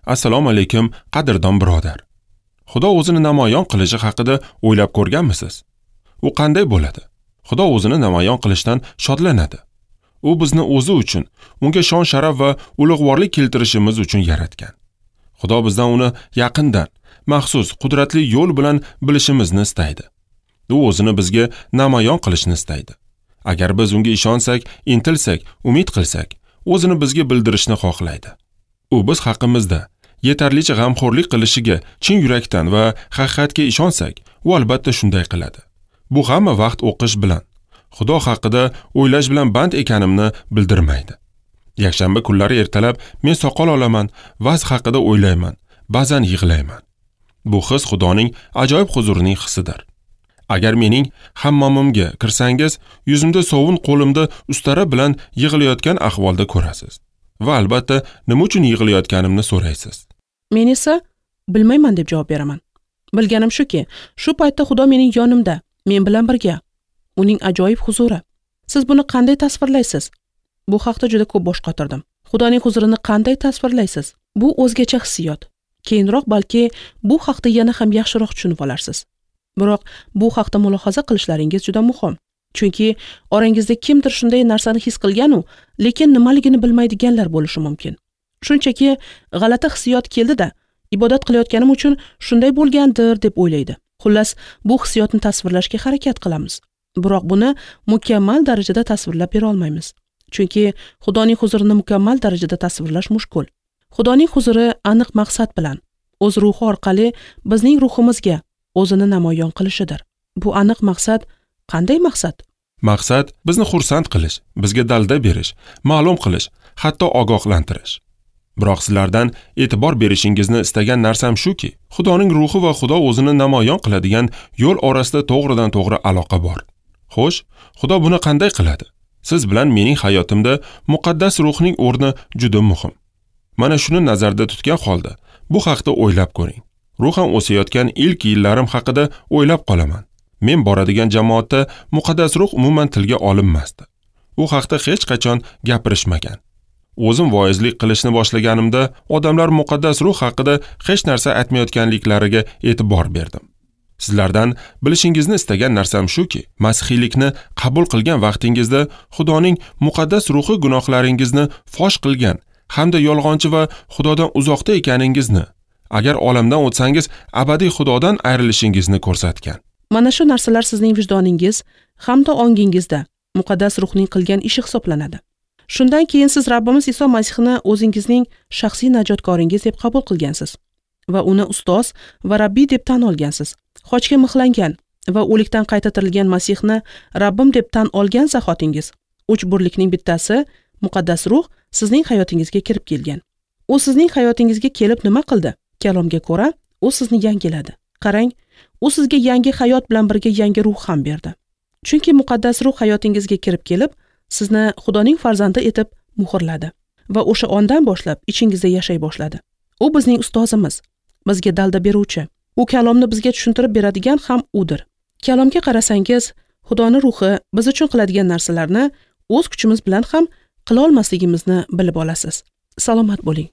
Assalomu alaykum, qadrdon birodar. Xudo o'zini namoyon qilishi haqida o'ylab ko'rganmisiz? U qanday bo'ladi? Xudo o'zini namoyon qilishdan shodlanadi. U bizni o'zi uchun, unga shon-sharaf va ulug'vorlik keltirishimiz uchun yaratgan. Xudo bizdan uni yaqindan, maxsus qudratli yo'l bilan bilishimizni istaydi. U o'zini bizga namoyon qilishni istaydi. Agar biz unga ishonsak, intilsak, umid qilsak, o'zini bizga bildirishni xohlaydi. U biz haqimizda yetarlicha g'amxo'rlik qilishiga chin yurakdan va haqiqatga ishonsak, u albatta shunday qiladi. Bu hamma vaqt o'qish bilan, Xudo haqida o'ylash bilan band ekanimni bildirmaydi. Yakshanba kunlari ertalab men soqol olaman, vaz haqida o'ylayman, ba'zan yig'layman. Bu his Xudoning ajoyib huzurining hissidir. Agar mening hammomimga kirsangiz, yuzimda sovun, qo'limda ustara bilan yig'layotgan ahvolda ko'rasiz. Va albatta nima uchun yig'layotganimni so'raysiz. Men esa bilmayman deb javob beraman. Bilganim shuki, shu paytda Xudo mening yonimda, men bilan birga. Uning ajoyib huzuri. Siz buni qanday tasvirlaysiz? Bu haqda juda ko'p bosh qotirdim. Xudoning huzurini qanday tasvirlaysiz? Bu o'zgacha hissiyot. Keyinroq balki bu haqda yana ham yaxshiroq tushunib olarsiz. Biroq bu haqda mulohaza qilishlaringiz juda muhim. Chunki orangizda kimdir shunday narsani his qilgan-u, lekin nimaligini bilmaydiganlar bo'lishi mumkin. Shunchaki g'alati hissiyot keldi-da, ibodat qilayotganim uchun shunday bo'lgandir deb o'ylaydi. Xullas, bu hissiyotni tasvirlashga harakat qilamiz. Biroq buni mukammal darajada tasvirlab bera olmaymiz. Chunki Xudoning huzurini mukammal darajada tasvirlash mushkul. Xudoning huzuri aniq maqsad bilan o'z ruhi orqali bizning ruhimizga o'zini namoyon qilishidir. Bu aniq maqsad qanday maqsad? Maqsad bizni xursand qilish, bizga dalda berish, ma'lum qilish, hatto ogohlantirish. Biroq sizlardan e'tibor berishingizni istagan narsam shuki, Xudoning ruhi va Xudo o'zini namoyon qiladigan yo'l orasida to'g'ridan to'g'ri aloqa bor. Xo'sh, Xudo buni qanday qiladi? Siz bilan mening hayotimda muqaddas ruhning o'rni juda muhim. Mana shuni nazarda tutgan holda bu haqda o'ylab ko'ring. Ruhan o'sayotgan ilk yillarim haqida o'ylab qolaman. Men boradigan jamoatda muqaddas ruh umuman tilga olinmasdi. U haqda hech qachon gapirishmagan. O'zim voizlik qilishni boshlaganimda odamlar muqaddas ruh haqida hech narsa aytmayotganliklariga e'tibor berdim. Sizlardan bilishingizni istagan narsam shuki, masihiylikni qabul qilgan vaqtingizda Xudoning muqaddas ruhi gunohlaringizni fosh qilgan hamda yolg'onchi va Xudodan uzoqda ekaningizni, agar olamdan o'tsangiz abadiy Xudodan ayrilishingizni ko'rsatgan. Mana shu narsalar sizning vijdoningiz hamda ongingizda muqaddas ruhning qilgan ishi hisoblanadi. Shundan keyin siz Rabbimiz Iso Masihni o'zingizning shaxsiy najotkoringiz deb qabul qilgansiz va uni ustoz va Rabbiy deb tan olgansiz. Xochga mixlangan va o'likdan qayta tirilgan Masihni Rabbim deb tan olgan zahotingiz uch birlikning bittasi muqaddas ruh sizning hayotingizga kirib kelgan. U sizning hayotingizga kelib nima qildi? Kalomga ko'ra, u sizni yangiladi. Qarang, u sizga yangi hayot bilan birga yangi ruh ham berdi. Chunki muqaddas ruh hayotingizga kirib kelib, sizni Xudoning farzandi etib muhrladi va o'sha ondan boshlab ichingizda yashay boshladi. U bizning ustozimiz, bizga dalda beruvchi. U kalomni bizga tushuntirib beradigan ham udir. Kalomga qarasangiz, Xudoning ruhi biz uchun qiladigan narsalarni o'z kuchimiz bilan ham qila olmasligimizni bilib olasiz. Salomat bo'ling.